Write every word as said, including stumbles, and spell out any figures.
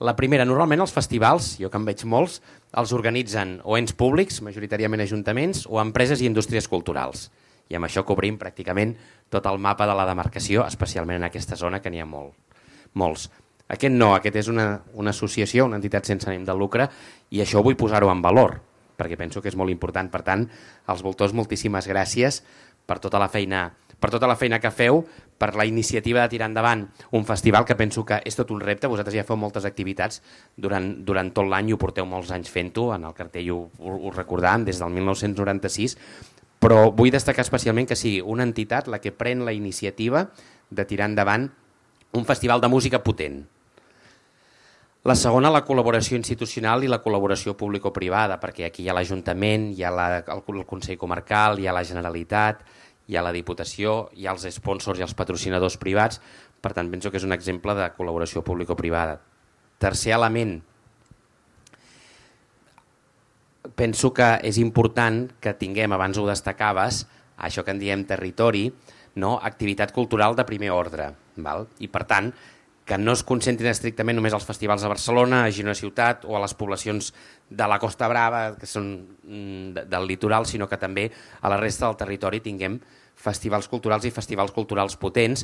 La primera, normalment els festivals, jo que en veig molts, els organitzen o ens públics, majoritàriament ajuntaments, o empreses i indústries culturals. I amb això cobrim pràcticament tot el mapa de la demarcació, especialment en aquesta zona, que n'hi ha molt, molts. Aquest no, aquest és una, una associació, una entitat sense ànim de lucre, i això vull posar-ho en valor, perquè penso que és molt important. Per tant, als voltors, moltíssimes gràcies per tota la feina per tota la feina que feu, per la iniciativa de tirar endavant un festival que penso que és tot un repte. Vosaltres ja feu moltes activitats durant, durant tot l'any i ho porteu molts anys fent-ho, en el cartell ho, ho, ho recordàvem des del mil nou-cents noranta-sis, però vull destacar especialment que sigui una entitat la que pren la iniciativa de tirar endavant un festival de música potent. La segona, la col·laboració institucional i la col·laboració público-privada, perquè aquí hi ha l'Ajuntament, hi ha la, el, el Consell Comarcal, hi ha la Generalitat, hi ha la Diputació, hi ha els sponsors i els patrocinadors privats, per tant penso que és un exemple de col·laboració público-privada. Tercer element, penso que és important que tinguem, abans ho destacaves, això que en diem territori, no? Activitat cultural de primer ordre, val? I per tant que no es concentrin estrictament només als festivals a Barcelona, a Girona Ciutat o a les poblacions de la Costa Brava, que són del litoral, sinó que també a la resta del territori tinguem festivals culturals i festivals culturals potents,